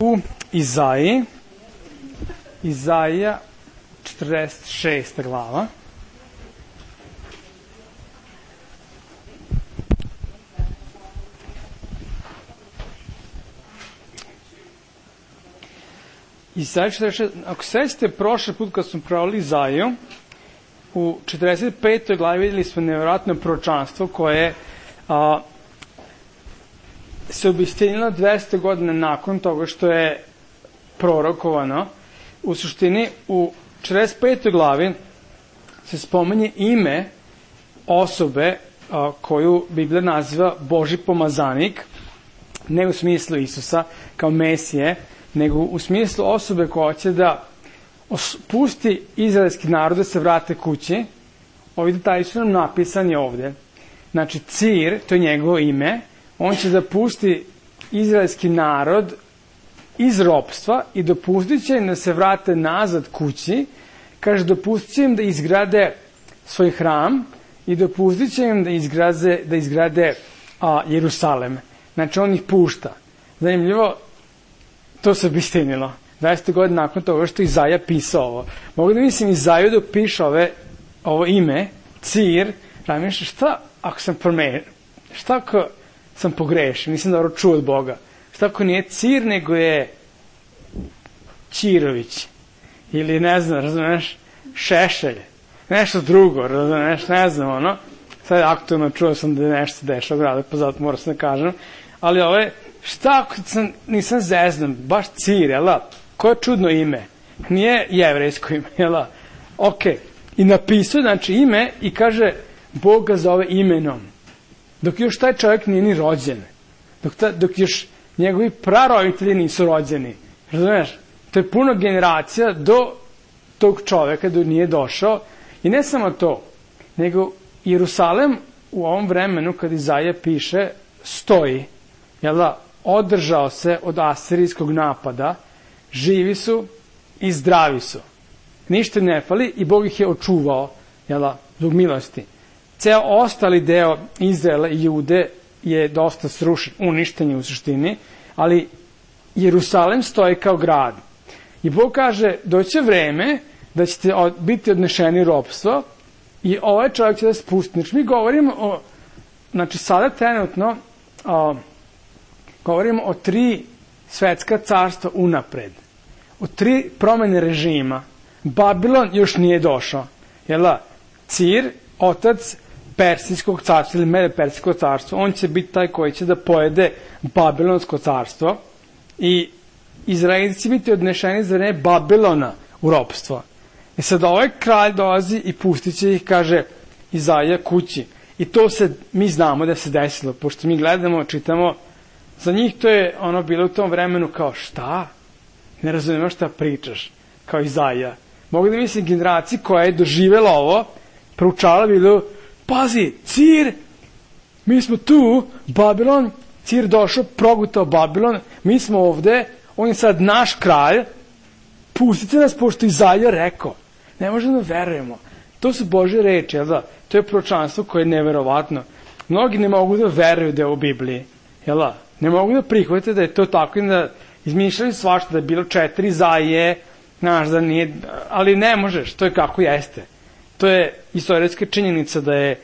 U Izaiji, Izaija 46. glava. Izaija 46. Ako sećate, prošli put kad smo pravili Izaiju, u 45. glavi vidjeli smo nevjerojatno proročanstvo koje se obistinilo 200 godina nakon toga što je prorokovano. U suštini, u 45. glavi se spominje ime osobe koju Biblija naziva Božji pomazanik, ne u smislu Isusa kao Mesije, nego u smislu osobe koja će da pusti izraelski narod da se vrate kući. Ovi detalji su nam napisani ovde. Znači, Cir, to je njegovo ime, on će da pusti izraelski narod iz ropstva i dopustit će im da se vrate nazad kući. Kaže, dopustit će im da izgrade svoj hram i dopustit će im da izgrade Jerusalem. Znači, on ih pušta. Zanimljivo, to se obistinilo. 20 godina nakon toga što Izaija pisao ovo. Mogu da mislim Izaiju da piše ovo ime, Cir, razmišljam šta ako sam promenio, šta ako sam pogrešio, nisam dobro čuo od Boga. Šta ako nije Cir, nego je Ćirović. Ili ne znam, razumeš, Šešelj. Nešto drugo, razumeš, ne znam, ono. Sad aktualno čuo sam da je nešto dešao u gradu, pa zato moram se da kažem. Ali ovo je, šta ako nisam zeznan, baš Cir, jel' koje čudno ime. Nije jevrejsko ime, jel'? Ok. I napisao, znači, ime i kaže, Bog ga zove imenom. Dok još taj čovjek nije ni rođen. Dok još njegovi praroditelji nisu rođeni. Razumiješ? To je puno generacija do tog čovjeka do nije došao. I ne samo to, nego Jerusalem u ovom vremenu kad Izaija piše stoji. Jel' održao se od asirijskog napada, živi su i zdravi su. Ništa ne fali i Bog ih je očuvao, jel', zbog milosti. Ceo ostali deo Izraela i Jude je dosta srušen, uništen je u suštini, ali Jerusalem stoji kao grad. I Bog kaže, doće vreme da ćete biti odnešeni ropstvo i ovaj čovjek će da spusti. Znači, mi govorimo znači sada trenutno govorimo o 3 svetska carstva unapred. O 3 promene režima. Babilon još nije došao. Jel' Cir, otac Persijskog carstva ili Medo-Persijskog carstva, on će biti taj koji će da pojede Babilonsko carstvo i Izraelci će biti odnešeni za vreme Babilona u ropstvo. I sad ovaj kralj dolazi i pustit će ih, kaže Izaija, kući. I to se, mi znamo da se desilo, pošto mi gledamo, čitamo, za njih to je ono bilo u tom vremenu kao šta? Ne razumemo šta pričaš, kao Izaija. Mogu da mislim generaciji koja je doživjela ovo, proučala bilo, pazi, Cir, mi smo tu, Babilon, Cir došao, progutao Babilon, mi smo ovde, on je sad naš kralj, pustite nas, pošto Izaija rekao. Ne možemo da verujemo. To su Božje reči, jel da? To je proročanstvo koje je neverovatno. Mnogi ne mogu da veruju da je u Bibliji, jel da? Ne mogu da prihvatite da je to tako i da izmišljaju svašta, da je bilo 4 Izaije, znaš, da nije, ali ne možeš, to je kako jeste. To je istorijska činjenica da je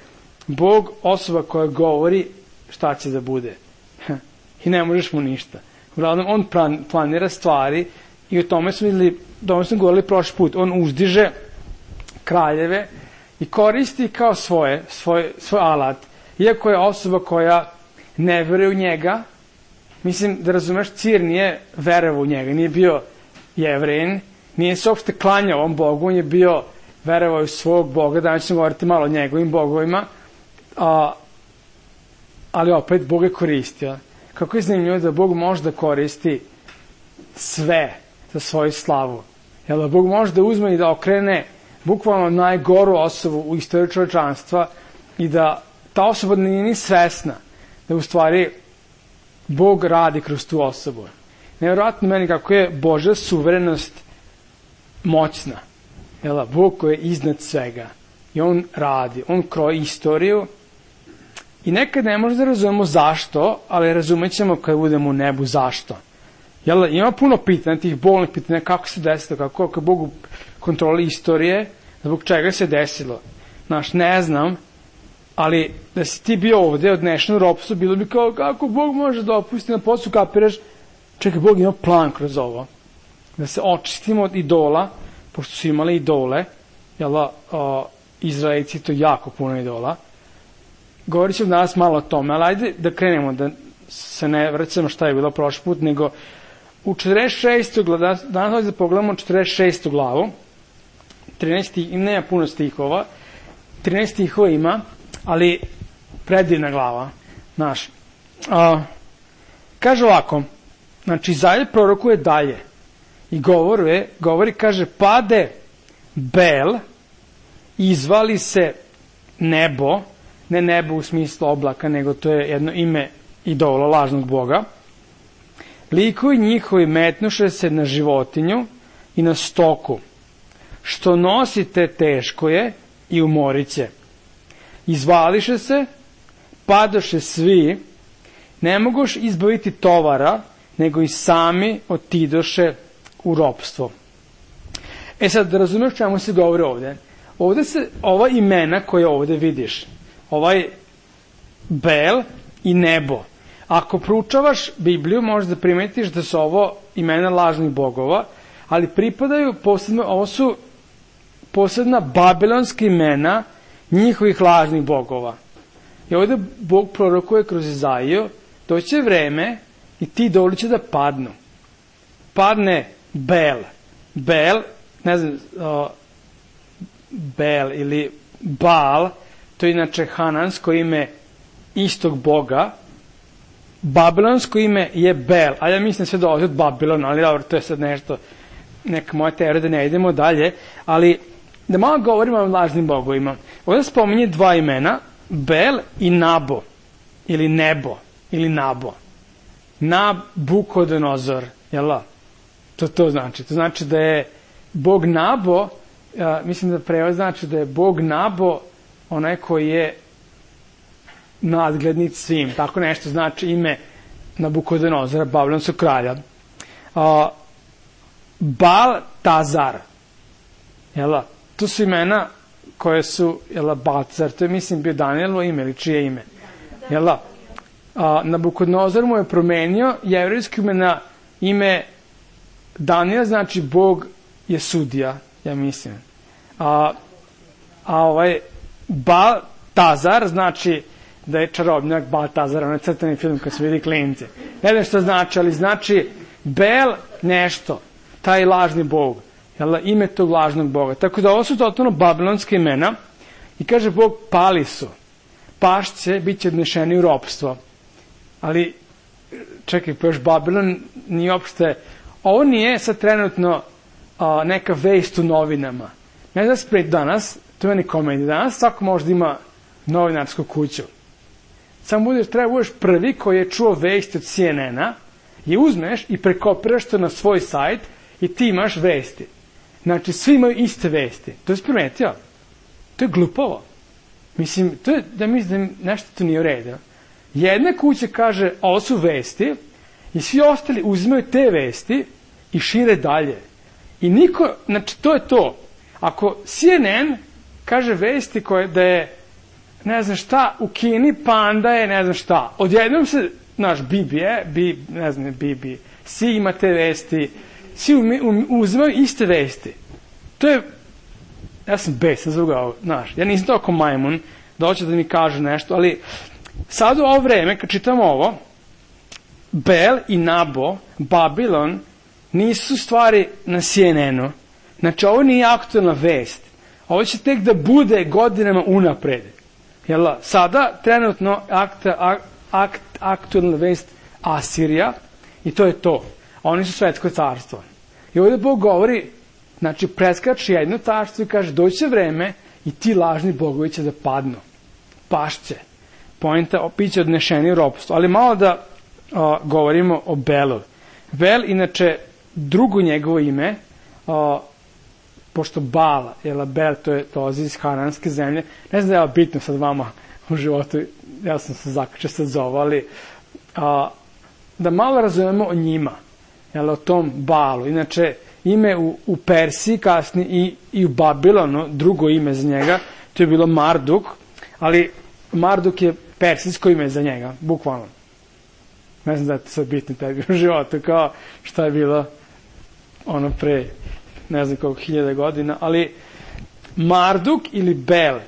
Bog osoba koja govori šta će da bude. I ne možeš mu ništa. Uglavnom, on planira stvari i o tome smo govorili prošli put. On uzdiže kraljeve i koristi kao svoj alat. Iako je osoba koja ne veruje u njega, mislim da razumeš, Cir nije verovao u njega, nije bio Jevrein, nije se uopšte klanjao ovom Bogu, on je bio verovao u svog Boga, danas ćemo govoriti malo o njegovim bogovima, ali opet Bog je koristio. Kako je zanimljivo da Bog može da koristi sve za svoju slavu. Jel, Bog može da uzme i da okrene bukvalno najgoru osobu u istoriji čovječanstva i da ta osoba nije ni svesna da u stvari Bog radi kroz tu osobu. Nevjerojatno meni kako je Božja suverenost moćna. Jel, Bog koji je iznad svega. I on radi, on kroji istoriju. I nekad ne možemo da razumemo zašto, ali razumjet ćemo kad budemo u nebu zašto. Jel, ima puno pitanja, tih bolnih pitanja, kako se desilo, kako Bog kontroli istorije, zbog čega se desilo. Znaš, ne znam, ali da si ti bio ovde odnešen u ropstvo, bilo bi kao, kako Bog može da opusti, na poslu kapiraš, čekaj, Bog ima plan kroz ovo. Da se očistimo od idola, pošto su imali idole, jel, Izraelici to jako puno idola. Govorit ćemo danas malo o tome, ali ajde da krenemo, da se ne vraćamo šta je bilo prošli put, nego u 46. glavu, danas da pogledamo 46. glavu, 13. i nema puno stihova, 13 stihova ima, ali predivna glava, znaš. Kaže ovako, znači Izaija prorokuje dalje i govori, kaže, pade Bel, izvali se nebo, ne nebo u smislu oblaka, nego to je jedno ime idola, lažnog boga. Likovi njihovi metnuše se na životinju i na stoku. Što nosite teško je i umorit će. Izvališe se, padoše svi, ne mogoš izbaviti tovara, nego i sami otidoše u ropstvo. Sad, da razumeš čemu se govori ovde. Ovde se, ova imena koje ovde vidiš, ovaj Bel i nebo. Ako proučavaš Bibliju, možeš da primetiš da su ovo imena lažnih bogova, ali pripadaju posebno, ovo su posebna babilonska imena njihovih lažnih bogova. I ovde Bog prorokuje kroz Izaiju, doće vreme i ti idoli će da padnu. Padne Bel. Bel, ne znam, Bel ili Baal, to je inače hanansko ime istog boga. Babilonsko ime je Bel, a ja mislim sve dolazi od Babilona, ali dobro, to je sad nešto, neka moja teorija da ne idemo dalje, ali da malo govorimo o lažnim bogovima. Ovdje spominje dva imena, Bel i Nabo, ili Nebo, ili Nabo. Nabukodonozor, jel da? To znači. To znači da je Bog Nabo, mislim da prevod znači da je Bog Nabo onaj koji je nadglednic svim. Tako nešto znači ime Nabukodonozora, babilonskog kralja. Baltazar, jel da? To su imena koje su, jel da, Baltazar, to je mislim bio Danijelovo ime ili čije ime, jel da? Nabukodonozor mu je promenio jevrejsko ime na ime Danijel, znači Bog je sudija, ja mislim. Ovaj Baltazar znači da je čarobnjak Baltazar, onaj crtani film kad se vidi klince. Ne znam što znači, ali znači Bel nešto, taj lažni bog, jel, ime tog lažnog boga. Tako da ovo su totalno babilonske imena i kaže Bog, pali su, pašće, bit će odnešeni u ropstvo. Ali, čekaj, pa još Babilon nije uopšte, ovo nije sad trenutno neka vest u novinama. Ne znam spred danas, to je ni komedija, danas svako možda ima novinarsku kuću. Samo treba budeš prvi koji je čuo vesti od CNN-a i uzmeš i prekopiraš to na svoj sajt i ti imaš vesti. Znači, svi imaju iste vesti. To je primetio. To je glupavo. Mislim, to je, da mislim da nešto tu nije u redu. Jedna kuća kaže, ovo su vesti i svi ostali uzimaju te vesti i šire dalje. I niko, znači, to je to. Ako CNN kaže vesti koje da je ne znam šta, u Kini panda je ne znam šta. Odjednom se, naš BBC ima te vesti, svi uzimaju iste vesti. To je, ja sam besan zbog ovo, znaš, ja nisam toliko majmun da hoće da mi kaže nešto, ali sad u ovo vreme, kad čitamo ovo, Bel i Nabo, Babilon, nisu stvari na CNN-u. Znači, ovo nije aktualna vest. Ovo će tek da bude godinama unapred. Jel, sada trenutno aktualna vest Asirija i to je to. Oni su svetsko carstvo. I ovdje Bog govori, znači preskači jedno carstvo i kaže doće vreme i ti lažni bogovi će da padnu. Pašće. Poenta, biće odnešeni u ropstvo. Ali malo da govorimo o Belu. Bel, inače, drugo njegovo ime, pošto Bal, Bel, to je dolazi iz Hananske zemlje. Ne znam da je bitno sad vama u životu, ja sam se zakačio sad za ovo, ali da malo razumemo o njima. o tom Baalu. Inače, ime u Persiji kasnije i u Babilonu, drugo ime za njega, to je bilo Marduk, ali Marduk je persijsko ime za njega, bukvalno. Ne znam da je to sad bitno tebi u životu, kao šta je bilo ono pre ne znam koliko 1000 godina, ali Marduk ili Bel,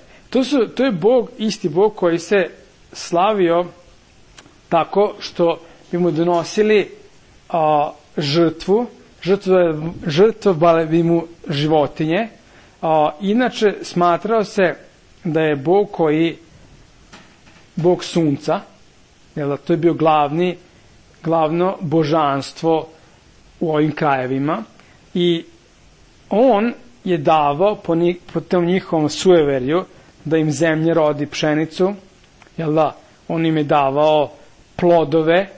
to je Bog, isti Bog koji se slavio tako što bi mu donosili žrtvovali bi mu životinje. Inače smatrao se da je Bog Bog sunca, to je bio glavno božanstvo u ovim krajevima i on je davao po tom njihovom sueverju da im zemlje rodi pšenicu, on im je davao plodove,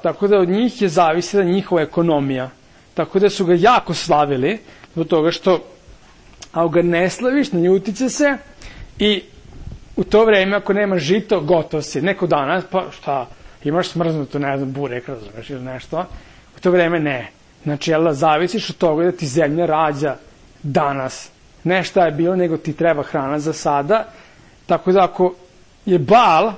tako da od njih je zavisila njihova ekonomija, tako da su ga jako slavili zbog toga što ako ga ne slaviš, naljutit će se i u to vreme ako nema žito, gotov si. Neko danas, pa šta, imaš smrznuto, ne znam, burek, razumeš ili nešto, u to vreme ne. Znači, zavisiš od toga da ti zemlja rađa danas. Ne šta je bilo, nego ti treba hrana za sada. Tako da ako je Baal,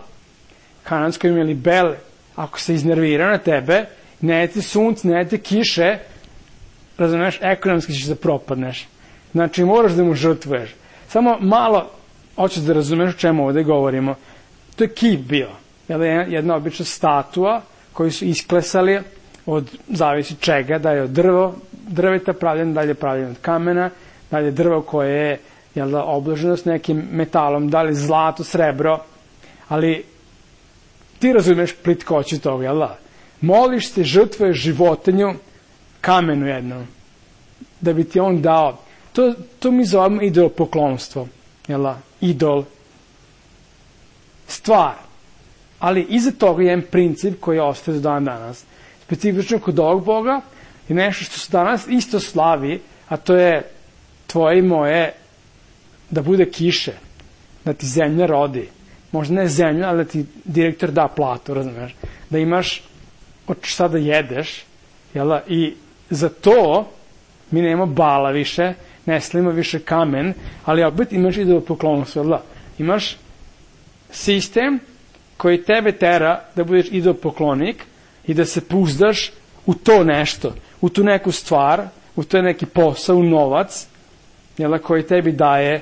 kanadsko ime ili Bel, ako se iznervira na tebe, ne jete sunce, ne jete kiše, razumeš, ekonomski ćeš da propadneš. Znači, moraš da mu žrtvuješ. Samo malo hoćeš da razumeš o čemu ovde govorimo. To je kip bio. Jedna obična statua koju su isklesali od zavisi čega, da je od drveta pravljen, dalje pravljen od kamena, dalje drvo koje je obloženo s nekim metalom, da li zlato, srebro, ali ti razumeš plitkoću toga, moliš se, žrtvuješ životinju, kamenu jednom, da bi ti on dao. To mi zovemo idolopoklonstvo, idol, stvar. Ali iza toga je jedan princip koji ostaje do dan danas. Specifično kod ovog Boga je nešto što se danas isto slavi, a to je tvoje i moje da bude kiše, da ti zemlja rodi. Možda ne zemlja, ali da ti direktor da platu, razumeš? Da imaš od šta da jedeš, i za to mi nemamo Bala više, ne slavimo više kamen, ali opet imaš idolopoklonstvo, imaš sistem koji tebe tera da budeš idolopoklonik i da se puzdaš u to nešto, u tu neku stvar, u to neki posao, u novac, koji tebi daje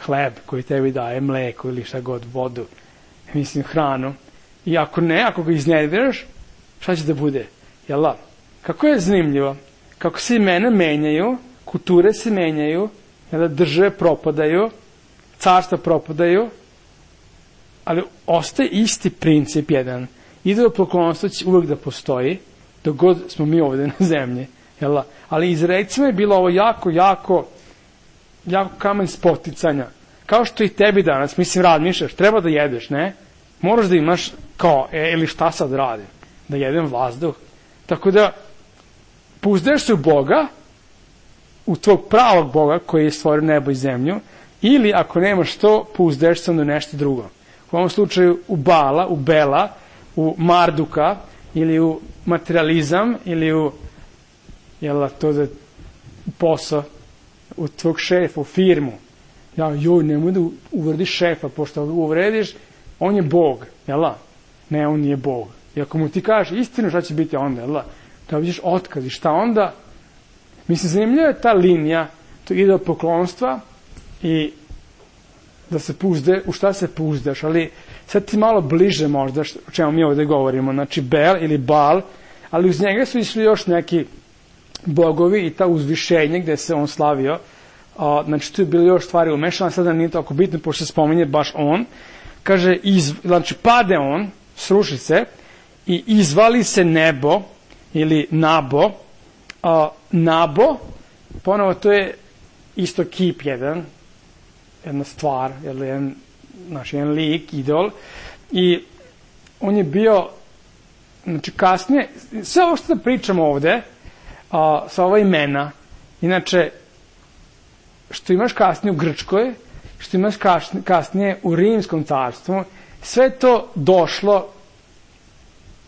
hleb, koji tebi daje mleko ili šta god, vodu, hranu. I ako ne, ako ga iznerviraš, šta će da bude? Kako je zanimljivo? Kako se imena menjaju, kulture se menjaju, države propadaju, carstva propadaju, ali ostaje isti princip jedan. Idolopoklonstvo će uvek da postoji, dok god smo mi ovde na zemlji. Ali Izraelcima je bilo ovo jako kamen spoticanja. Kao što i tebi danas, razmišljaš, treba da jedeš, ne? Moraš da imaš kao, ili šta sad radim? Da jedem vazduh. Tako da, puzdeš se u Boga, u tvog pravog Boga koji je stvorio nebo i zemlju, ili ako nemaš to, puzdeš se na nešto drugo. U ovom slučaju u Bala, u Bela, u Marduka, ili u materializam, ili u to da posao, u tvog šefa, u firmu. Nemoj da uvrediš šefa, pošto uvrediš, on je Bog, ne, on nije Bog. I ako mu ti kažeš istinu, šta će biti onda, da vidiš otkaz i šta onda? Zanimljiva je ta linija, to idolopoklonstva i da se u šta se puzdaš, ali sad ti malo bliže možda o čemu mi ovde govorimo, znači Bel ili Baal, ali uz njega su išli još neki bogovi i ta uzvišenje gde se on slavio, znači tu je bilo još stvari umešano, sada nije toliko bitno, pošto se spominje baš on, kaže, znači pade on, sruši se i izvali se nebo ili Nabo. Nabo, ponovo to je isto kip jedna stvar, jedan lik, idol, i on je bio, znači kasnije, sve ovo što da pričamo ovde, sa ova imena, inače, što imaš kasnije u Grčkoj, što imaš kasnije u Rimskom carstvu, sve to došlo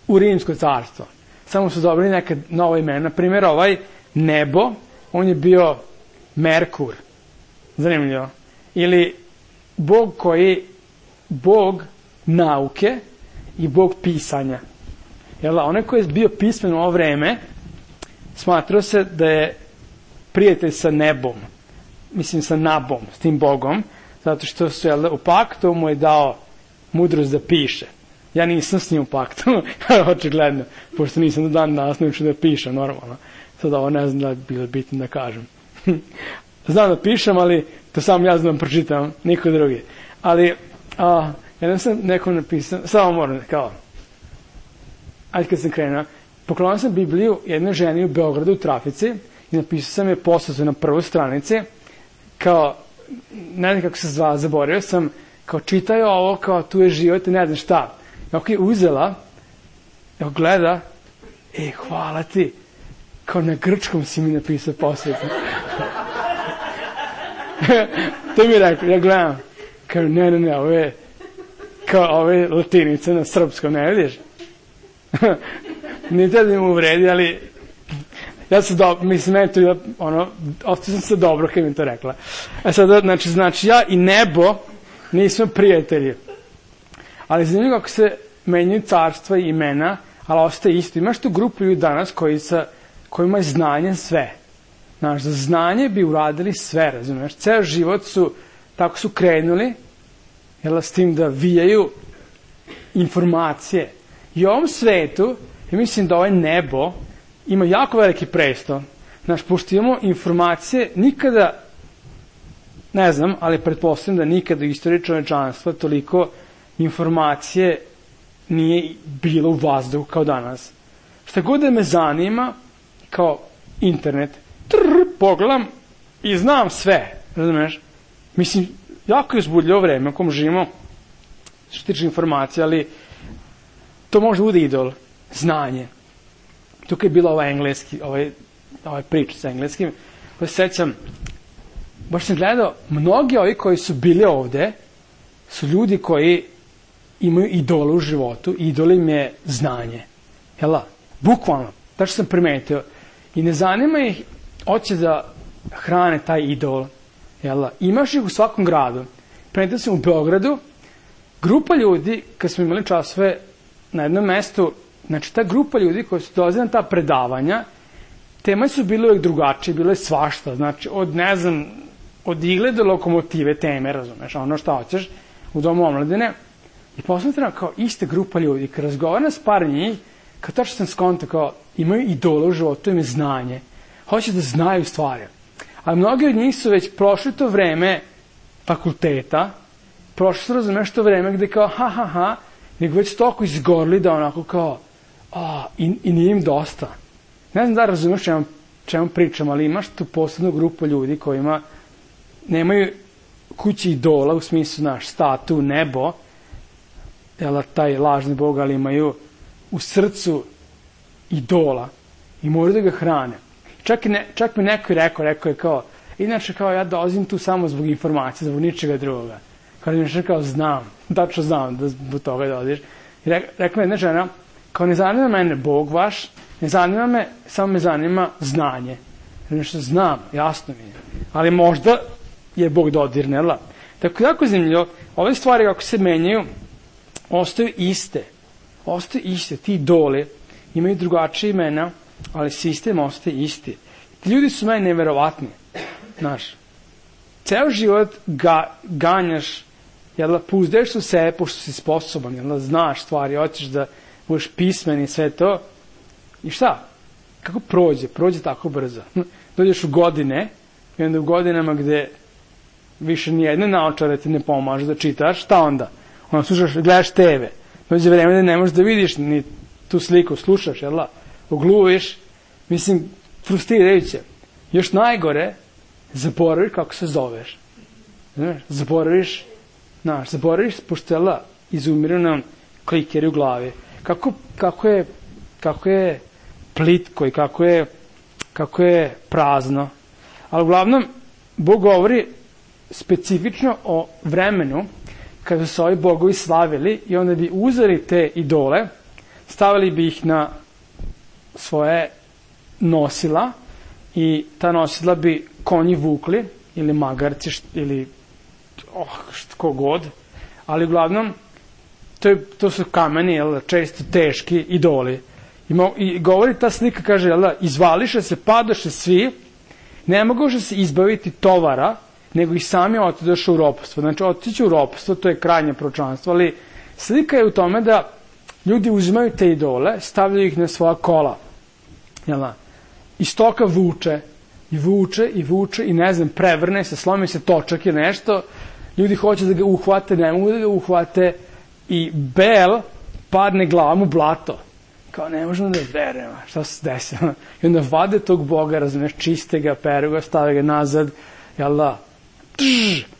u Rimsko carstvo. samo su dobili neka nova imena. Na primjer, ovaj nebo, on je bio Merkur. Zanimljivo. Ili Bog nauke i Bog pisanja. Onaj koji je bio pismen u ovo vreme, smatrao se da je prijatelj sa nebom. Mislim sa Nabom, s tim Bogom, zato što su u paktu mu je dao mudrost da piše. Ja nisam s njim u paktu, očigledno, pošto nisam do dan danas naučio da pišem normalno. Sad ovo ne znam da je bilo bitno da kažem. Znam da pišem, ali to samo ja znam pročitam, niko drugi. Ali, jedan sam nekom napisao, samo moram, ajde kad sam krenuo, poklonio sam Bibliju jednoj ženi u Beogradu u trafici i napisao sam je poslatu na prvoj stranici, ne znam kako se zva, zaboravio sam, čitaju ovo, tu je život i ne znam šta. I je uzela, gleda, hvala ti, na grčkom si mi napisao poslatu. To mi je rekao, ja gledam, ne, ovo je latinica na srpskom, ne vidiš? Nije da mi uvredi, ali ja sam dobro, mislim, meni to je ostao sam se dobro kad mi to rekla. Sad, znači, ja i nebo nismo prijatelji. Ali zanimljivo kako se menjaju carstva i imena, ali ostaje isto. Imaš tu grupu ljudi danas koji imaju znanje sve. Znaš, za znanje bi uradili sve, razumiješ? Ceo život tako su krenuli, s tim da vijaju informacije. I u ovom svetu, ja mislim da ovaj nebo ima jako veliki presto. Znaš, pošto imamo informacije, nikada, ne znam, ali pretpostavljam da nikada u istoriji čovečanstva toliko informacije nije bilo u vazduhu kao danas. Šta god da me zanima, kao internet, pogledam i znam sve, razumiješ? Mislim, jako je uzbudljivo vreme u kom živimo, što tiče informacije, ali to može bude idol, znanje. Tukaj je bilo ovaj prič sa engleskim, pa se sećam, baš sam gledao, mnogi ovi koji su bili ovde, su ljudi koji imaju idole u životu, idol im je znanje. Bukvalno, tačno sam primetio. I ne zanima ih, hoće da hrane taj idol. Imaš ih u svakom gradu. Primetio sam u Beogradu, grupa ljudi, kad smo imali časove na jednom mestu, znači ta grupa ljudi koji su dolazili na ta predavanja, teme su bile uvijek drugačije, bilo je svašta, znači od igle do lokomotive teme, razumeš, ono šta hoćeš u domu omladine. I posmatram kao iste grupa ljudi, kad razgovaram s par njih, kao tačno sam skontao, imaju idole u životu, imaju znanje, hoće da znaju stvari. Ali mnogi od njih su već prošli to vreme fakulteta, prošli su, razumeš, to vreme gde nego već toliko izgorli da onako i nije im dosta. Ne znam da razumeš čemu pričam, ali imaš tu posebnu grupu ljudi kojima nemaju kući idola, u smislu, statu, nebo, taj lažni bog, ali imaju u srcu idola i moraju da ga hrane. Čak mi neko je rekao, inače ja dolazim tu samo zbog informacije, zbog ničega drugoga. Znam, tačno znam da zbog toga dolaziš. I rekla mi jedna žena, ne zanima mene Bog vaš, ne zanima me, samo me zanima znanje. Nešto znam, jasno mi je. Ali možda je Bog dodirne, Tako jako zanimljivo, ove stvari kako se menjaju, ostaju iste. Ostaju iste, ti idoli imaju drugačije imena, ali sistem ostaje isti. Ti ljudi su meni neverovatni. Znaš, ceo život ganjaš, pouzdaješ u sebe pošto si sposoban, znaš stvari, hoćeš da budeš pismen i sve to. I šta? Kako prođe? Prođe tako brzo. Dođeš u godine, i onda u godinama gde više nijedne naočare ti ne pomažu da čitaš, šta onda? Onda slušaš, gledaš TV. Dođe vreme da ne možeš da vidiš ni tu sliku, slušaš, ogluviš. Mislim, frustrirajuće. Još najgore, zaboraviš kako se zoveš. Zaboraviš, pošto izumiru nam klikeri u glavi. Kako je plitko i kako je prazno. Ali uglavnom, Bog govori specifično o vremenu kada su ovi bogovi slavili i onda bi uzeli te idole, stavili bi ih na svoje nosila i ta nosila bi konji vukli ili magarci ili ko god, ali uglavnom to su kameni, često teški idoli. I govori ta slika, kaže, izvališe se, padoše svi, ne mogoše se izbaviti tovara, nego i sami otidoše u ropstvo. Znači, otići u ropstvo, to je krajnje proročanstvo, ali slika je u tome da ljudi uzimaju te idole, stavljaju ih na svoja kola. I stoka vuče, i vuče, i vuče, i ne znam, prevrne se, slomi se točak ili nešto, ljudi hoće da ga uhvate, ne mogu da ga uhvate, i Bel padne glavom u blato. Kao, ne možemo da verujemo, šta se desilo? I onda vade tog Boga, razumeš, čiste ga, peru ga, stave ga nazad,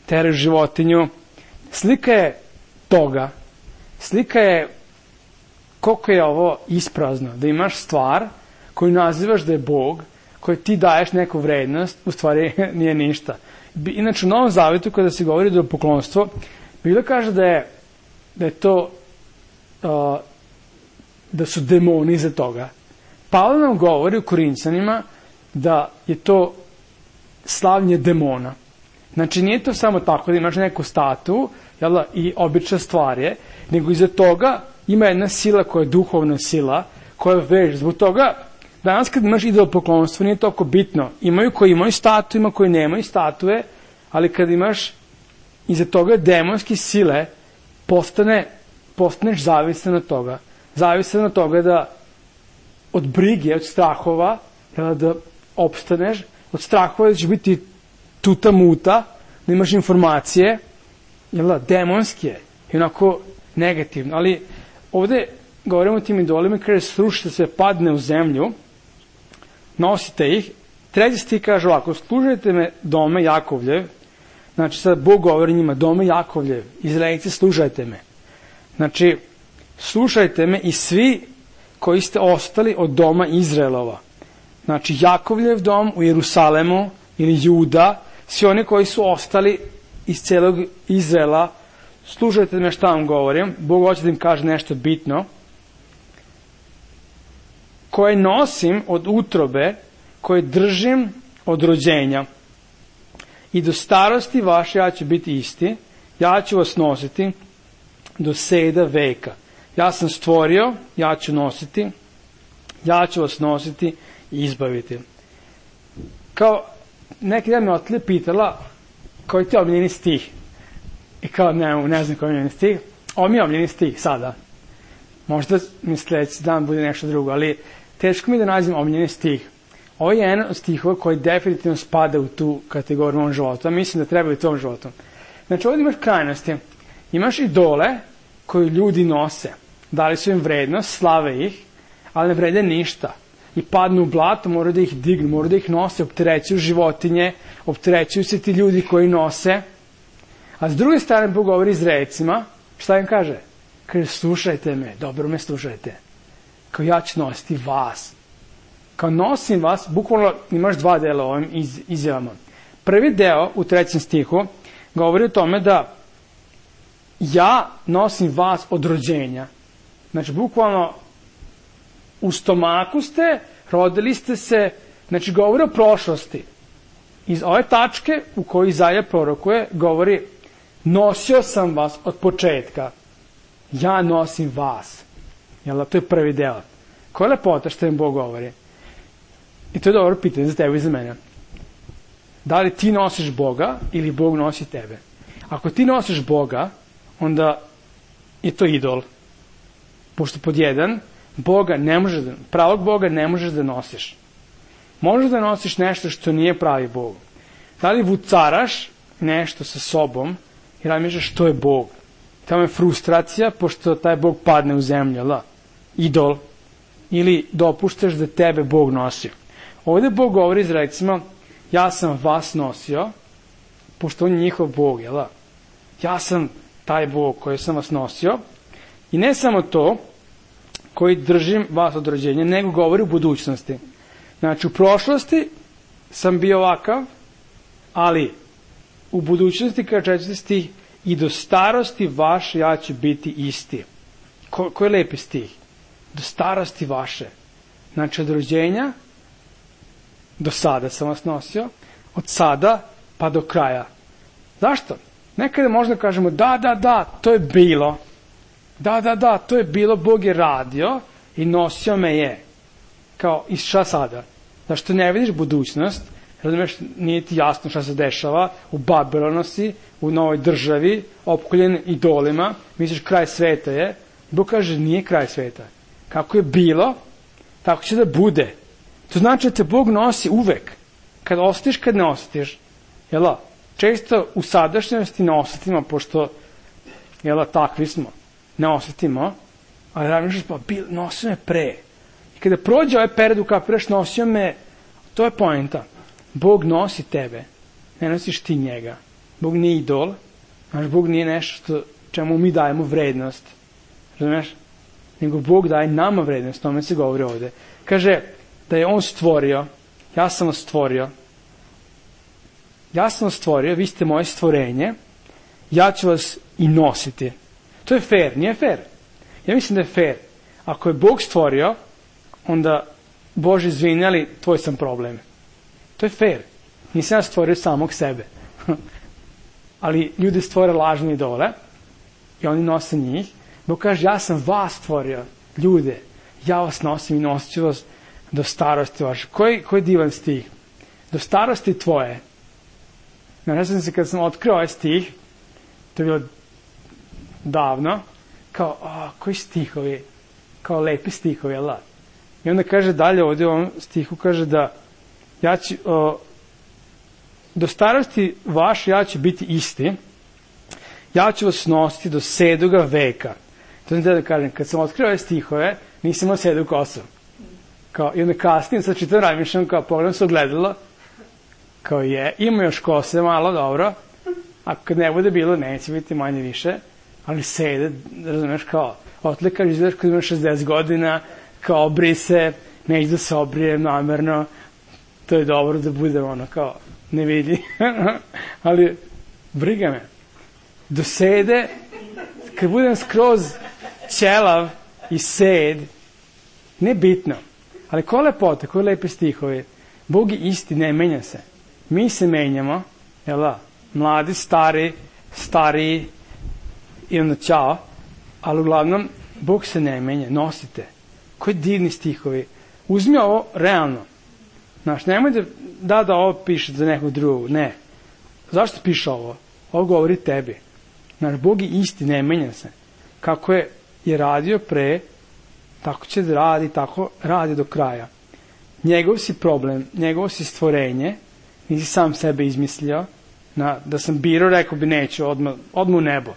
teraju životinju. Slika je toga. Slika je koliko je ovo isprazno, da imaš stvar koju nazivaš da je Bog, koju ti daješ neku vrednost, u stvari nije ništa. Inače, u Novom Zavetu, kada se govori o poklonstvu, Biblia kaže da je to da su demoni iza toga. Pavle nam govori u Korinćanima da je to slavlje demona. Znači, nije to samo tako da imaš neku statu i obična stvar je, nego iza toga ima jedna sila koja je duhovna sila, koja je već. Zbog toga, danas kad imaš idolopoklonstvo, nije toliko bitno. Imaju koji imaju statu, ima koji nemaju statue, ali kad imaš iza toga demonske sile, postaneš zavisan od toga. Zavisan od toga da od brige, od strahova, da opstaneš, od strahova da će biti tuta muta, da imaš informacije, demonske i onako negativno. Ali ovde govorimo o tim idolima, kaže srušite se, padne u zemlju, nosite ih. Treći stih kaže ovako, slušajte me dome Jakovljev, znači sad Bog govori njima, dome Jakovljev, Izraelci, slušajte me. Znači, slušajte me i svi koji ste ostali od doma Izraelova. Znači, Jakovljev dom u Jerusalemu ili Juda, svi oni koji su ostali iz celog Izraela, slušajte me šta vam govorim, Bog hoće da im kaže nešto bitno, koje nosim od utrobe, koje držim od rođenja. I do starosti vaše ja ću biti isti, ja ću vas nositi do seda veka. Ja sam stvorio, ja ću nositi, ja ću vas nositi i izbaviti. Kao, neki dan me otlije pitala koji ti je omiljeni stih. I kao, ne znam koji je omiljeni stih. Ovo mi je omiljeni stih sada. Možda mi sledeći dan bude nešto drugo, ali teško mi da nađem omiljeni stih. Ovo je jedan od stihova koji definitivno spada u tu kategoriju u ovom životu. A mislim da treba i u tom životu. Znači, ovdje imaš krajnosti. Imaš idole koju ljudi nose. Dali su im vrednost, slave ih, ali ne vrede ništa. I padnu u blato, moraju da ih dignu, moraju da ih nose, opterećuju životinje, opterećuju se ti ljudi koji nose. A s druge strane, Bog govori Izraelcima, šta im kaže? Kaže, slušajte me, dobro me slušajte. Kao ja ću nositi vas. Kao nosim vas, bukvalno imaš dva dela u ovim izjavama. Prvi deo u 3. stihu govori o tome da ja nosim vas od rođenja. Znači, bukvalno u stomaku ste, rodili ste se, znači govori o prošlosti. Iz ove tačke u kojoj Izaja prorokuje, govori nosio sam vas od početka. Ja nosim vas. To je prvi deo. Koja je lepota što im Bog govori? I to je dobro pitanje za tebe i za mene. Da li ti nosiš Boga ili Bog nosi tebe? Ako ti nosiš Boga, onda je to idol. Pošto pod jedan, pravog Boga ne možeš da nosiš. Možeš da nosiš nešto što nije pravi Bog. Da li vucaraš nešto sa sobom i razmišljaš što je Bog? Tamo je frustracija pošto taj Bog padne u zemlju, idol. Ili dopuštaš da tebe Bog nosi. Ovdje Bog govori Izraelcima, ja sam vas nosio, pošto on je njihov Bog, ja sam taj Bog koji sam vas nosio. I ne samo to, koji držim vas od rođenja, nego govori u budućnosti. Znači, u prošlosti sam bio ovakav, ali u budućnosti, kada 4. stih, i do starosti vaše ja ću biti isti. Koji je lepi stih? Do starosti vaše. Znači, od rođenja do sada sam vas nosio, od sada pa do kraja. Zašto? Nekada možda kažemo, da, to je bilo. Da, to je bilo, Bog je radio i nosio me je. Kao, i šta sada? Zašto ne vidiš budućnost? Razumeš, nije ti jasno šta se dešava, u Babilonu si, u novoj državi, opkoljen idolima, misliš kraj sveta je. Bog kaže, nije kraj sveta. Kako je bilo, tako će da bude. To znači da te Bog nosi uvek. Kad osjetiš, kad ne osjetiš. Jel' često u sadašnjosti ne osjetimo, pošto takvi smo. Ne osjetimo, ali razmišljaš, pa nosio me pre. I kada prođe ovaj period u kapiraš, nosio me, to je poenta. Bog nosi tebe, ne nosiš ti njega. Bog nije idol, znaš, Bog nije nešto čemu mi dajemo vrednost. Razumeš? Nego Bog daje nama vrednost, tome se govori ovde. Kaže da je On stvorio, ja sam vas stvorio, vi ste moje stvorenje, ja ću vas i nositi. To je fair, nije fair. Ja mislim da je fair. Ako je Bog stvorio, onda, Bože, izvini, ali tvoj sam problem. To je fair. Nisam ja stvorio samog sebe. Ali ljudi stvore lažne idole i oni nose njih. Bog kaže, ja sam vas stvorio, ljude. Ja vas nosim i nosit ću vas do starosti vaše. Koji divan stih? Do starosti tvoje. Ne znam se, kad sam otkrio ovaj stih, to je bilo davno, kao, koji stihovi, kao lepi stihovi, jel' da? I onda kaže dalje ovdje u ovom stihu, kaže da ja ću, do starosti vaše ja ću biti isti, ja ću vas nositi do 7. veka. To sam da kažem, kad sam otkrio ove stihove, nisam imao 7 kosu. Kao, i onda kasnije, sad čitam razmišljam, kao pogledam se ogledalo, kao ima još kose malo, dobro, a kad ne bude bilo, neće biti manje više, ali sede, razumeš, kao, otlikaš, izgledaš kad imaš 60 godina, kao obri se, neće da se obrijem namerno, to je dobro da budem ono, kao, ne vidi, ali briga me. Do sede, kad budem skroz ćelav i sed, ne bitno, ali ko lepote, koji lepe stihovi, Bog je isti, ne menja se. Mi se menjamo, jel da, mladi, stariji i onda ćao, ali uglavnom, Bog se ne menja, nosite. Koji divni stihovi. Uzmi ovo realno. Znaš, nemoj da ovo piše za nekog drugog, ne. Zašto piše ovo? Ovo govori tebi. Znaš, Bog je isti, ne menja se. Kako je radio pre, tako će da radi, tako radi do kraja. Njegov si problem, njegovo si stvorenje, nisi sam sebe izmislio, da sam birao, rekao bi neću, odmah u nebo.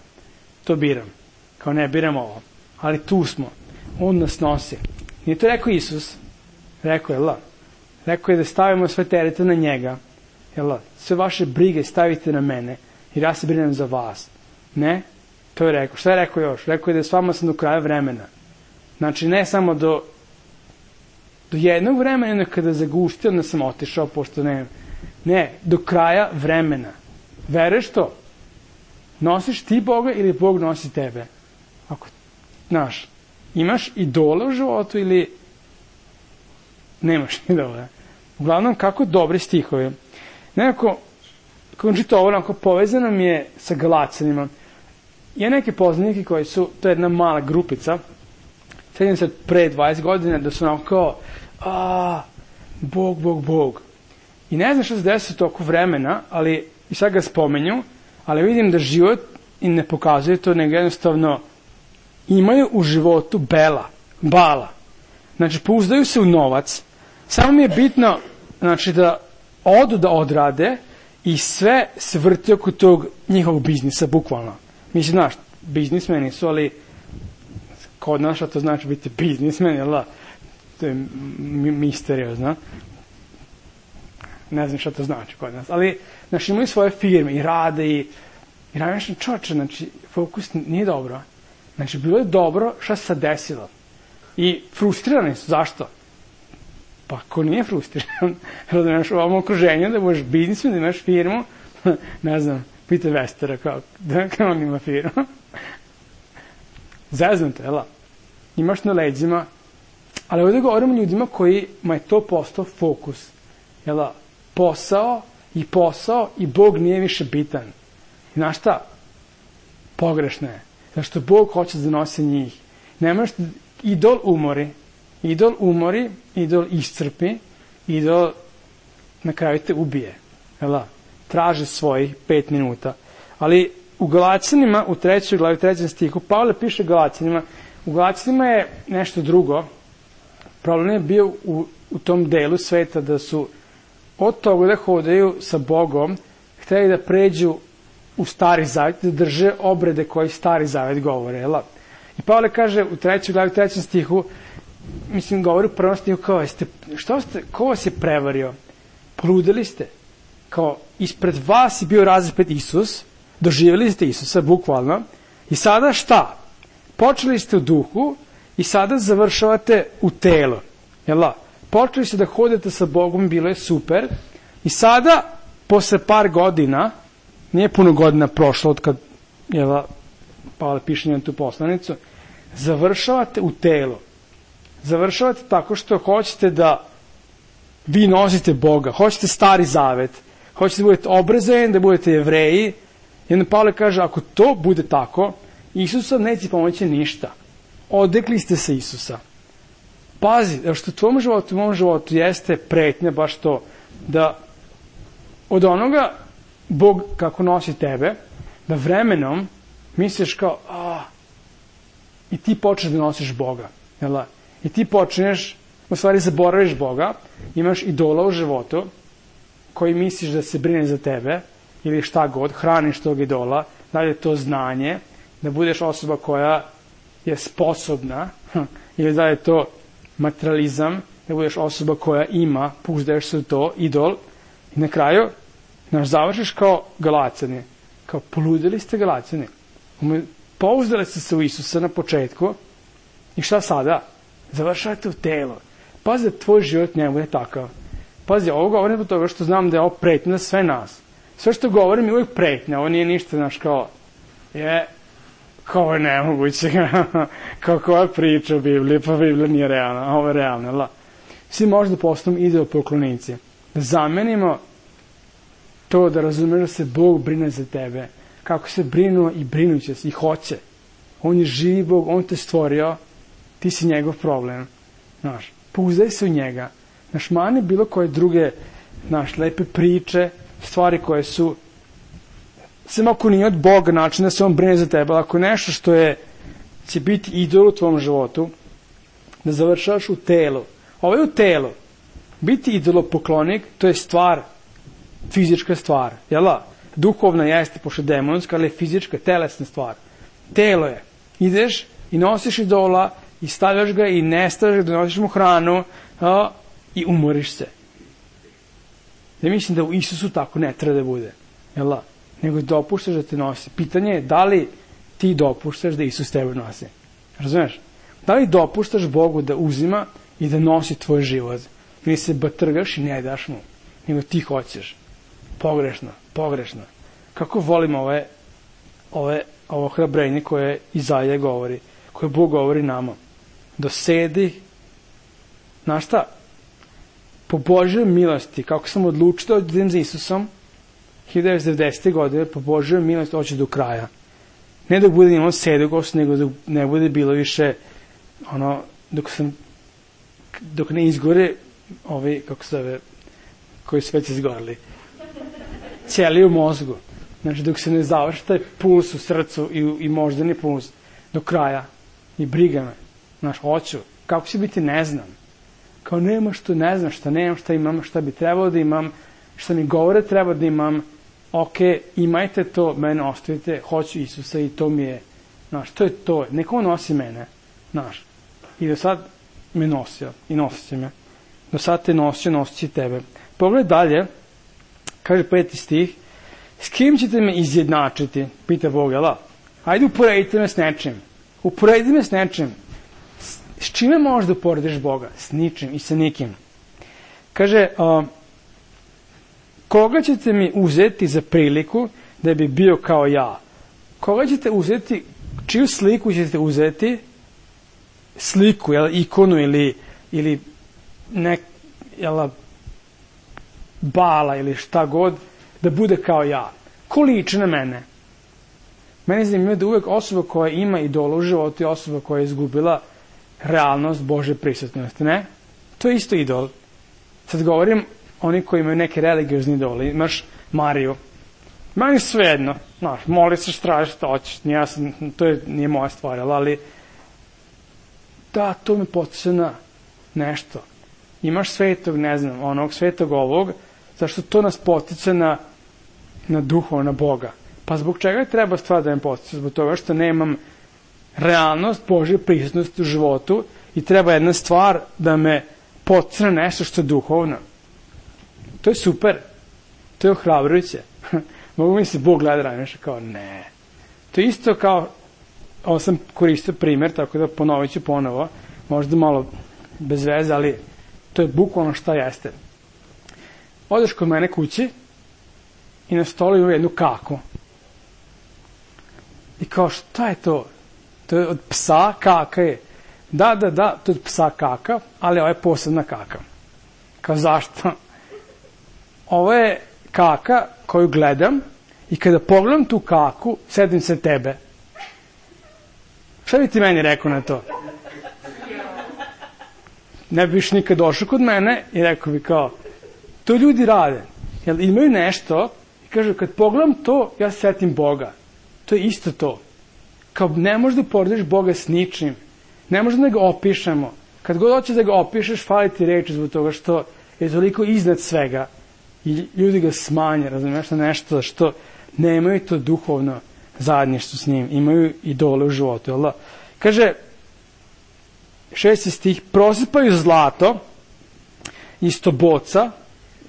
To biram. Kao ne biram ovo. Ali tu smo. On nas nosi. Nije to rekao Isus. Rekao je, rekao je da stavimo sve terete na njega. Sve vaše brige stavite na mene, jer ja se brinem za vas. Ne? To je rekao. Šta je rekao još? Rekao je da s vama sam do kraja vremena. Znači, ne samo do jednog vremena, kada zaguštio, onda sam otišao, pošto ne, do kraja vremena. Veruješ to? Nosiš ti Boga ili Bog nosi tebe? Ako, znaš, imaš idole u životu ili nemaš idole? Uglavnom, kako dobri stihovi. Nekako, kako čito ovo, onako povezano mi je sa Galacanima. I neke poznanike koji su, to je jedna mala grupica, sedim se pre 20 godina, da su onako kao, Bog. I ne znam što se desi toliko vremena, ali, i sad ga spomenju, ali vidim da život im ne pokazuje to, nego jednostavno imaju u životu bala. Znači, pouzdaju se u novac. Samo mi je bitno, znači, da odu da odrade i sve se vrti oko tog njihovog biznisa, bukvalno. Mislim, znaš, biznismeni su, ali kod nas što to znači biti biznismen, jel da? To je misteriozno. Ne znam šta to znači kod nas. Ali, znači, imaju svoje firme i rade i razmišljam, čoče, znači, fokus nije dobro. Znači, bilo je dobro šta se sad desilo. I frustrirani su. Zašto? Pa, ko nije frustriran, da imaš u ovom okruženju, da budeš biznismen, da imaš firmu, ne znam, pita Vestera kao on ima firmu. Zeznuto, jel? Imaš na leđima Ali ovdje govorimo ljudima kojima je to postao fokus. Jel, posao i Bog nije više bitan. I znaš šta? Pogrešno je. Zato što Bog hoće da nosi njih. Nemaš, idol umori, idol iscrpi, idol na kraju te ubije. Jel, traži svojih 5 minuta. Ali u Galaćanima, u 3. glavi, 3. stihu, Pavle piše Galaćanima, u Galaćanima je nešto drugo. Problem je bio u tom delu sveta da su od toga da hodaju sa Bogom, hteli da pređu u Stari Zavet, da drže obrede koji Stari Zavet govore. Jel? I Pavle kaže u 3. glavi, 3. stihu, govori u 1. stihu, ko vas je prevario? Poludeli ste. Kao, ispred vas je bio razapet Isus, doživjeli ste Isusa, bukvalno, i sada šta? Počeli ste u duhu i sada završavate u telo. Jel? Počeli ste da hodete sa Bogom, bilo je super, i sada, posle par godina, nije puno godina prošlo od kad, Pavle piše njenu tu poslanicu, završavate u telo. Završavate tako što hoćete da vi nosite Boga, hoćete Stari Zavet, hoćete da budete obrazovani, da budete Jevreji. I onda Pavle kaže, ako to bude tako, Isusa neće pomoći ništa. Odrekli ste se Isusa. Pazi, što u tvojom životu, u mom životu jeste pretnja baš to, da od onoga Bog kako nosi tebe, da vremenom misliš kao, i ti počneš da nosiš Boga. Jel? I ti počneš, u stvari zaboraviš Boga, imaš idola u životu, koji misliš da se brine za tebe, ili šta god, hraniš tog idola, da li je to znanje, da budeš osoba koja je sposobna, ili da je to materializam, da budeš osoba koja ima, pouzdaješ se u to, idol, i na kraju, završiš kao Galaćani, kao poludeli ste Galaćani, pouzdali ste se u Isusa na početku, i šta sada? Završavate u telo. Pazi da tvoj život ne bude takav. Pazi, ovo govorim zbog toga što znam da je ovo pretnja za sve nas. Sve što govorim je uvijek pretnja, ovo nije ništa, znaš, kao je nemoguće, kao koja priča o Bibliji, pa Biblija nije realna, a ovo je realna, Svi možda postanu ideopoklonici. Da zamenimo to da razumeš da se Bog brine za tebe, kako se brinuo i brinuće se i hoće. On je živi Bog, on te stvorio, ti si njegov problem. Znaš, pouzdaj se u njega. Znaš, mani bilo koje druge, lepe priče, stvari koje su, samo ako nije od Boga način da se on brine za tebe, ali ako nešto što će biti idol u tvom životu, da završavaš u telu. Ovo je u telu. Biti idolopoklonik, to je stvar, fizička stvar. Jel? Duhovna jeste, pošto je demonska, ali je fizička, telesna stvar. Telo je. Ideš i nosiš idola, i stavljaš ga i ne stavljaš ga, donosiš mu hranu i umoriš se. Ja mislim da u Isusu tako ne treba da bude. Jel? Nego dopuštaš da te nosi. Pitanje je da li ti dopuštaš da Isus tebe nosi. Razumeš? Da li dopuštaš Bogu da uzima i da nosi tvoj život? Ili se batrgaš i ne daš mu. Nego ti hoćeš. Pogrešno. Kako volim ovo hrabrenje koje Izaija govori, koje Bog govori nama. Dosedi, znaš šta, po Božjoj milosti, kako sam odlučio da idem za Isusom, 1990. godine, po Božjoj milosti hoću do kraja. Ne dok bude imao sedogost, nego dok ne bude bilo više, dok ne izgore ovi, koji su već izgorili, ćelije u mozgu. Znači, dok se ne završi taj puls u srcu i moždani puls do kraja. I briga me. Znaš, hoću. Kako će biti, ne znam. Kao nema što ne znam, šta nemam, šta imam, šta bi trebalo da imam, šta mi govore treba da imam. Ok, imajte to, mene ostavite, hoću Isusa i to mi je, znaš, to je to. Neko nosi mene, znaš. I do sad me nosio i nosit će me. Do sad te nosio, nosit će tebe. Pogledaj dalje, kaže 5. stih, s kim ćete me izjednačiti, pita Bog, jel? Ajde uporedite me s nečim. Uporedi me s nečim. S čime možeš da uporediš Boga? S ničim i sa nikim. Kaže, koga ćete mi uzeti za priliku da bi bio kao ja? Koga ćete uzeti, čiju sliku ćete uzeti? Sliku, ikonu ili ili Bala ili šta god, da bude kao ja. Ko liči na mene? Mene zanimljivo da uvek osoba koja ima idola u životu je osoba koja je izgubila realnost Božje prisutnosti, ne? To je isto idol. Sad govorim oni koji imaju neke religiozni idole. Imaš Mariju. Meni svejedno. Znaš, moli se straži što hoćeš. To nije moja stvar, ali da, to me podsjeća na nešto. Imaš svetog, ne znam, onog svetog ovog, zašto to nas podsjeća na duhova, na Boga. Pa zbog čega treba stvar da me podsjeća? Zbog toga što nemam realnost Božje prisutnosti u životu i treba jedna stvar da me podsjeća na nešto što je duhovno. To je super. To je ohrabrujuće. Mogu mi se Bog gleda ranije kao ne. To je isto kao, ovo sam koristio primjer, tako da ponovit ću ponovo, možda malo bez veze, ali to je bukvalno šta jeste. Odeš kod mene kući i na stolu ima jednu kaku. I kao, šta je to? To je od psa, kaka je. Da, to je od psa kaka, ali ovo je posebna kaka. Kao, zašto? Ovo je kaka koju gledam i kada pogledam tu kaku, sedim se tebe. Šta bi ti meni rekao na to? Ne bi viš nikad došao kod mene i rekao bi kao, to ljudi rade. Jer imaju nešto i kažu, kad pogledam to, ja se setim Boga. To je isto to. Kao ne možeš da porediš Boga s ničim. Ne možeš da ga opišemo. Kad god hoćeš da ga opišeš, fali ti reči zbog toga što je toliko iznad svega. I ljudi ga smanje, razumiješ, na nešto što nemaju to duhovno zajedništvo s njim. Imaju idole u životu. Jel da? Kaže, 6. stih, prosipaju zlato isto boca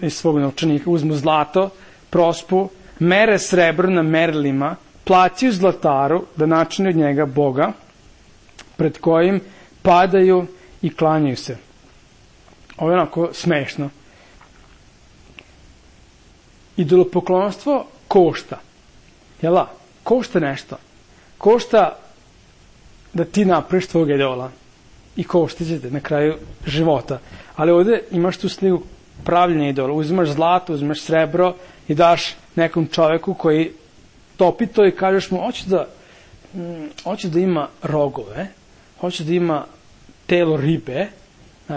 iz svog novčanika, uzmu zlato, prospu, mere srebro na merilima, plaćaju zlataru da načine od njega Boga, pred kojim padaju i klanjaju se. Ovo je onako smešno. Idolopoklonstvo košta. Jel' košta nešto. Košta da ti napraviš tvojeg idola. I koštit će te na kraju života. Ali ovdje imaš tu sliku pravljenja idola. Uzimaš zlato, uzimaš srebro i daš nekom čoveku koji topi to i kažeš mu, hoće da ima rogove, hoće da ima telo ribe,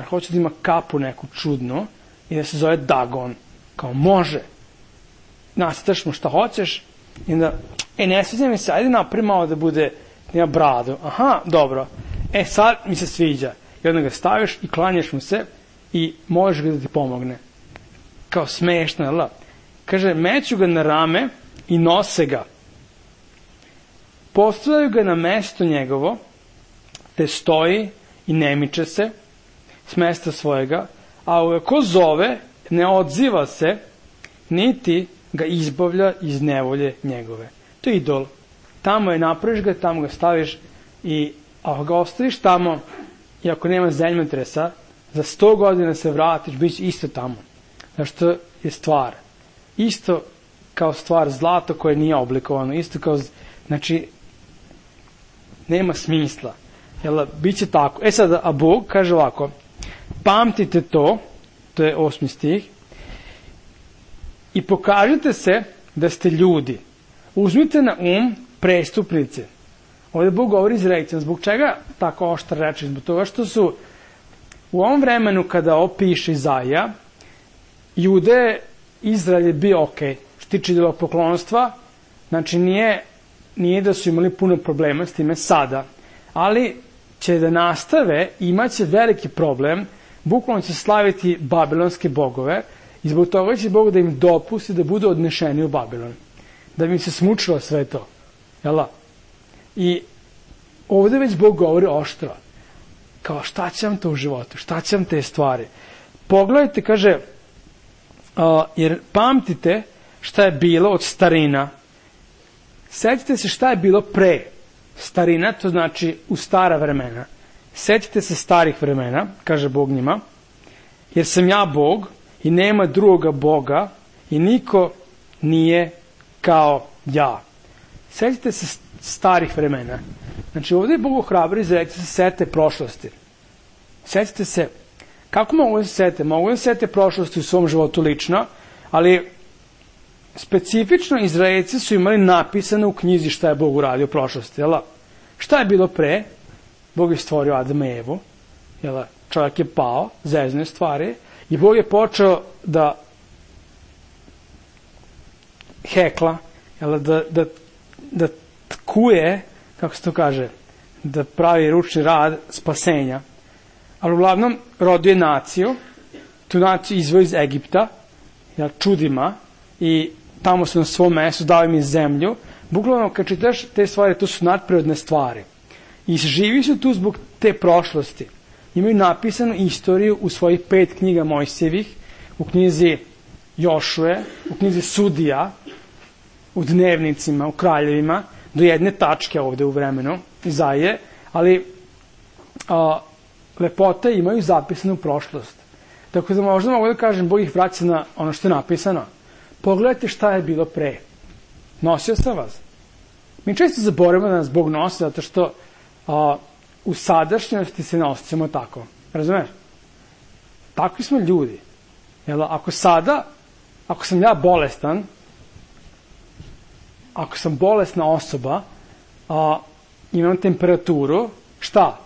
hoće da ima kapu neku čudnu i da se zove Dagon. Kao može. Nacrtaš mu šta hoćeš i onda, ne sviđa mi se, ajde napravi malo da bude, nema bradu. Aha, dobro. Sad mi se sviđa. I onda ga staviš i klanjaš mu se i možeš ga da ti pomogne. Kao smešno, jel da? Kaže, meću ga na rame i nose ga. Postavljaju ga na mesto njegovo, te stoji i ne miče se s mesta svojega, a ako zove, ne odziva se, niti ga izbavlja iz nevolje njegove. To je idol. Tamo je napraviš ga, tamo ga staviš i ako ga ostaviš tamo i ako nema zemljotresa, za 100 godina se vratiš, bit će isto tamo. Zašto je stvar? Isto kao stvar zlato koje nije oblikovano. Isto kao, znači, nema smisla. Jel, bit će tako. Sad, a Bog kaže ovako, pamtite to je 8. stih, i pokažite se da ste ljudi. Uzmite na prestupnice. Ovdje Bog govori izrekcijom. Zbog čega tako oštra reči? Zbog toga što su u ovom vremenu kada opiše Izaija, Jude, Izrael je bio okej. Što tiče idolopoklonstva, znači nije da su imali puno problema s time sada, ali će da nastave, imaće veliki problem, bukvalno će slaviti babilonske bogove i zbog toga će Bog da im dopusti da budu odnešeni u Babilon. Da bi im se smučilo sve to. Jel' I ovdje već Bog govori oštro. Kao šta će vam to u životu? Šta će vam te stvari? Pogledajte, kaže, jer pamtite šta je bilo od starina. Sjetite se šta je bilo pre. Starina, to znači u stara vremena. Sjetite se starih vremena, kaže Bog njima, jer sam ja Bog i nema drugoga Boga i niko nije kao ja. Sjetite se starih vremena. Znači ovdje je Bog ohrabri za se sete prošlosti. Sjetite se Kako mogu da se sete? Mogu da se sete prošlosti u svom životu lično, ali specifično Izraelci su imali napisano u knjizi šta je Bog uradio u prošlosti. Jel? Šta je bilo pre? Bog je stvorio Adama i Evu. Jel? Čovjek je pao, zezne stvari, i Bog je počeo da hekla, jel? Da tkuje, kako se to kaže, da pravi ručni rad spasenja. Ali uglavnom rodio je naciju, tu naciju izveo iz Egipta, jel, čudima, i tamo su na svom mestu, dao im zemlju. Bukvalno, kad čitaš te stvari, to su nadprirodne stvari. I živi su tu zbog te prošlosti. Imaju napisanu istoriju u svojih 5 knjiga Mojsijevih, u knjizi Jošue, u knjizi Sudija, u dnevnicima, u kraljevima, do jedne tačke ovde u vremenu, Izaije, ali lepote imaju zapisanu prošlost. Tako da možda mogu da kažem, Bog ih vraća na ono što je napisano. Pogledajte šta je bilo pre. Nosio sam vas. Mi često zaboravimo da nas Bog nosi, zato što u sadašnjosti se ne osjećamo tako. Razumeš? Takvi smo ljudi. Jel, ako sam ja bolestan, ako sam bolesna osoba, imam temperaturu, šta?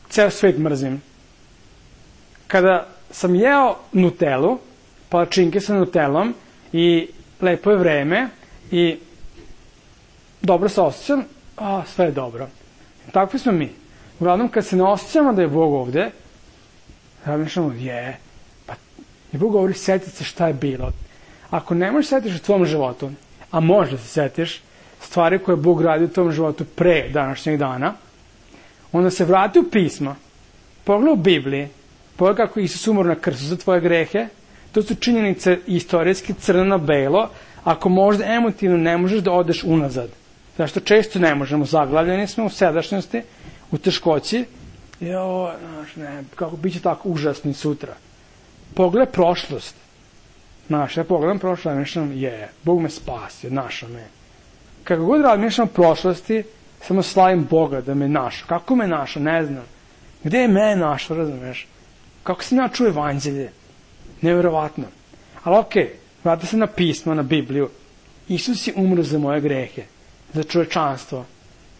Ceo svet mrzim. Kada sam jeo Nutellu, palačinke sa Nutellom, i lepo je vreme, i dobro se osjećam, sve je dobro. Takvi smo mi. Uglavnom, kad se ne osjećamo da je Bog ovde, razmišljamo, pa i Bog govori, setite se šta je bilo. Ako ne možeš setiš u tvom životu, a možda se setiš stvari koje Bog radi u tvom životu pre današnjeg dana, onda se vrati u pismo, pogledaj u Bibliji, pogledaj kako Isus umro na krstu za tvoje grehe, to su činjenice istorijski crno-belo, ako možda emotivno ne možeš da odeš unazad. Zašto često ne možemo, zaglavljeni smo u sadašnjosti, u teškoći, kako bit će tako užasni sutra. Pogledaj prošlost. Ja pogledam prošlost, razmišljam, Bog me spasio, našao me. Kako god razmišljam o prošlosti, samo slavim Boga da me našao. Kako me našao, ne znam. Gde je me našao, razumeš? Kako sam ja čuo evanđelje? Neverovatno. Ali okej, vrati se na pismo, na Bibliju. Isus je umro za moje grehe, za čovečanstvo.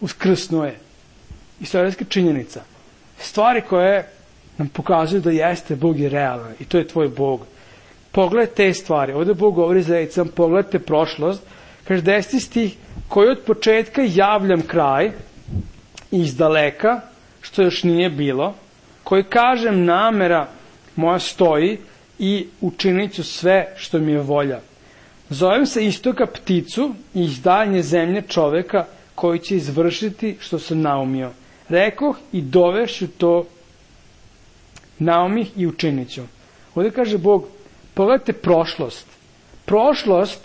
Uskrsnuo je. Istorijska činjenica. Stvari koje nam pokazuju da jeste, Bog je realan i to je tvoj Bog. Pogledaj te stvari. Ovdje Bog govori za Ejcam, pogledajte prošlost. Kaže 10. stih, koji od početka javljam kraj iz daleka, što još nije bilo, koji kažem namera moja stoji i učinit ću sve što mi je volja. Zovem se istoka pticu i iz daljnje zemlje čoveka koji će izvršiti što sam naumio. Rekoh i dovešću to naumih i učinit ću. Ovdje kaže Bog, pogledajte prošlost. Prošlost,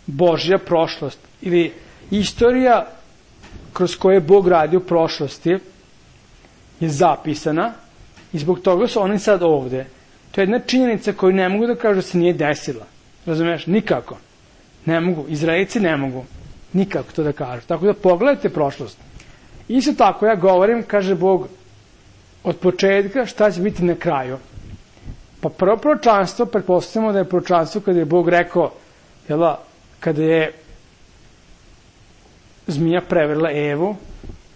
Božja prošlost, ili istorija kroz koje Bog radi u prošlosti, je zapisana i zbog toga su oni sad ovde. To je jedna činjenica koju ne mogu da kažu da se nije desila. Razumeš? Nikako. Ne mogu. Izraelci ne mogu. Nikako to da kažu. Tako da pogledajte prošlost. Isto tako ja govorim, kaže Bog, od početka šta će biti na kraju. Pa prvo proročanstvo, pretpostavljamo da je proročanstvo kada je Bog rekao, kada je zmija prevarila Evu,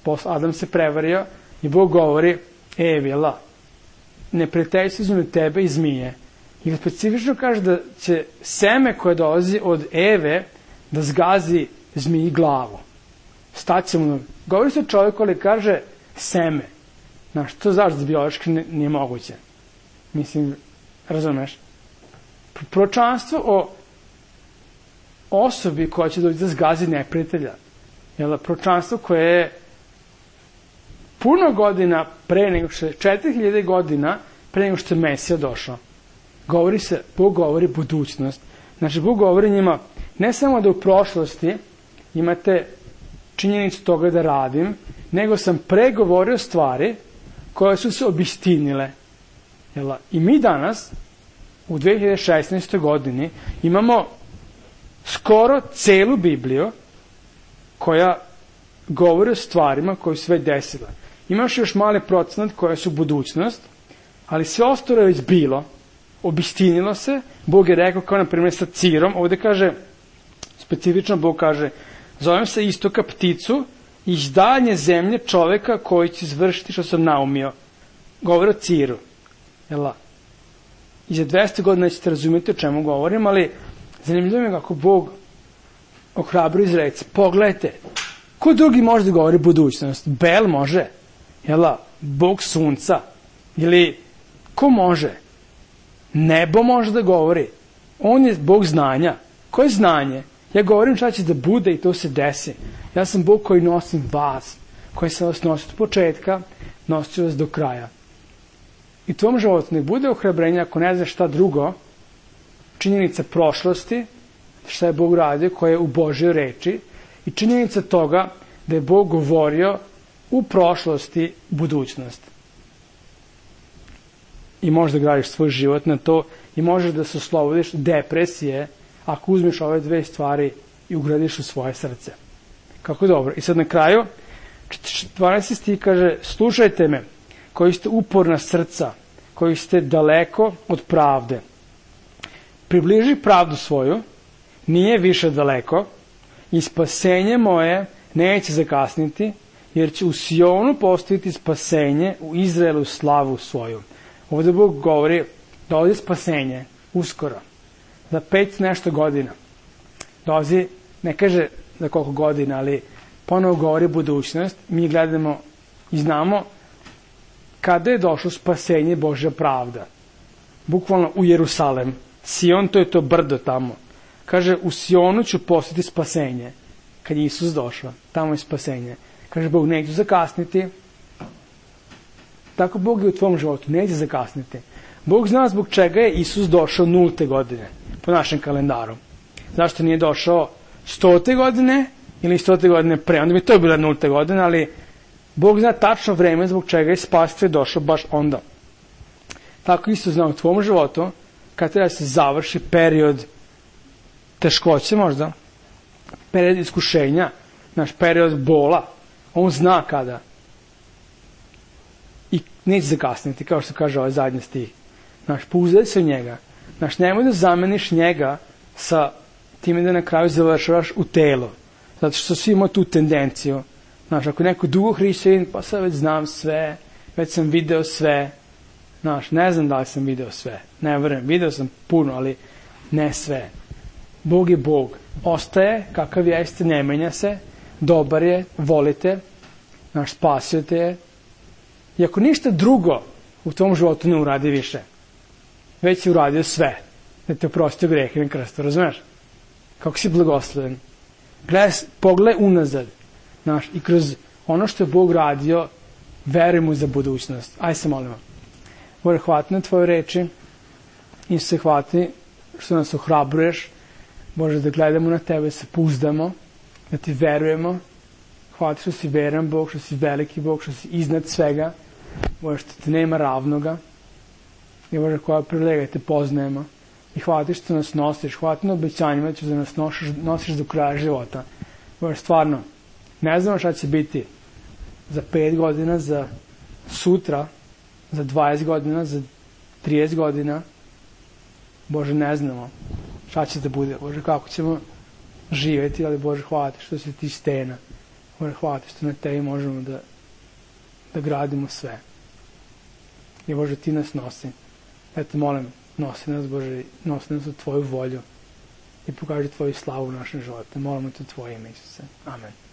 posle Adam se prevario i Bog govori Evi, neprijateljstvo između tebe i zmije. I specifično kaže da će seme koje dolazi od Eve da zgazi zmiji glavu. Staće mu. Govori se o čovjeku, ali kaže seme. Znaš, to zašto biološki nije moguće. Mislim, razumeš? Proročanstvo o osobi koja će doći da zgazi neprijatelja. Proročanstvo koje je puno godina pre nego što je 4000 godina pre nego što je Mesija došao. Bog govori budućnost. Znači, Bog govori njima ne samo da u prošlosti imate činjenicu toga da radim, nego sam pregovorio stvari koje su se obistinile. I mi danas, u 2016. godini, imamo skoro celu Bibliju koja govori o stvarima koje su sve desile. Imaš još mali procenat koje su budućnost Ali sve ostalo je već bilo, obistinilo se, Bog je rekao, kao na primjer sa Cirom, ovde kaže, specifično Bog kaže, zovem se istoka pticu, iz daljnje zemlje čoveka koji će izvršiti što sam naumio. Govori o Ciru. I za 200 godina ćete razumjeti o čemu govorim, ali zanimljivo je kako Bog ohrabro izreci. Pogledajte, ko drugi može da govori budućnost? Bel može? Bog sunca? Ili ko može? Nebo može da govori. On je Bog znanja. Ko je znanje? Ja govorim šta će da bude i to se desi. Ja sam Bog koji nosim vas, koji sam vas nosio od početka, nosit vas do kraja. I tvom životu ne bude ohrabrenja ako ne znaš šta drugo, činjenica prošlosti, šta je Bog radio, koja je u Božjoj reči, i činjenica toga da je Bog govorio u prošlosti budućnost. I možeš da gradiš svoj život na to i možeš da se oslobodiš depresije ako uzmeš ove dve stvari i ugradiš u svoje srce. Kako dobro. I sad na kraju, 12. stih kaže, slušajte me, koji ste uporna srca, koji ste daleko od pravde. Približi pravdu svoju, nije više daleko, i spasenje moje neće zakasniti, jer će u Sionu postaviti spasenje, u Izraelu slavu svoju. Ovdje Bog govori dolazi spasenje uskoro, za 5 nešto godina. Dolazi, ne kaže za koliko godina, ali ponovo govori budućnost. Mi gledamo i znamo kada je došlo spasenje, Božja pravda. Bukvalno u Jerusalem. Sion, to je to brdo tamo. Kaže, u Sionu ću postaviti spasenje. Kad je Isus došao, tamo je spasenje. Kaže, Bog neće zakasniti. Tako Bog je u tvom životu, neće zakasniti. Bog zna zbog čega je Isus došao 0. godine, po našem kalendaru. Zašto nije došao 100. godine ili 100. godine pre, onda bi to bila 0. godina, ali Bog zna tačno vreme zbog čega je spasitelj došao baš onda. Tako isto zna u tvom životu, kad treba se završi period teškoće možda, period iskušenja, naš period bola, on zna kada. I neće zakasniti, kao što kaže ovaj zadnji stih. Pouzdaj se u njega. Nemoj da zameniš njega sa time da na kraju završavaš u telo. Zato što svi imaju tu tendenciju. Ako je neko dugo hrišćanin, pa sad već znam sve, već sam video sve. Ne znam da li sam video sve. Ne verujem, video sam puno, ali ne sve. Bog je Bog. Ostaje kakav jeste, ne menja se, dobar je, volite, spasio te je. I ako ništa drugo u tom životu ne uradi više, već je uradio sve, da te oprostio grehe na krstu, razumeš? Kako si blagosloven. Pogledaj unazad, i kroz ono što je Bog radio, veruj mu za budućnost. Aj se molimo. Bože, hvala na tvoje reči i se hvala što nas ohrabruješ. Bože, da gledamo na tebe, se pouzdamo, da ti verujemo. Hvala što si veran Bog, što si veliki Bog, što si iznad svega. Bože, što te nema ravnoga. I Bože, koja privilegija te poznajemo. I hvala ti što nas nosiš. Hvala ti na obećanjima da ćeš da nas nosiš do kraja života. Bože, stvarno, ne znamo šta će biti za 5 godina, za sutra, za 20 godina, za 30 godina. Bože, ne znamo šta će da bude. Bože, kako ćemo živjeti, ali Bože, hvala ti što si ti stena. Bože, hvala ti što na tebi možemo da gradimo sve. I Bože, ti nas nosi. Eto, molim, nosi nas, Bože, nosi nas u tvoju volju i pokaži tvoju slavu u našem životu. Molimo te u tvoje ime, Isuse. Amen.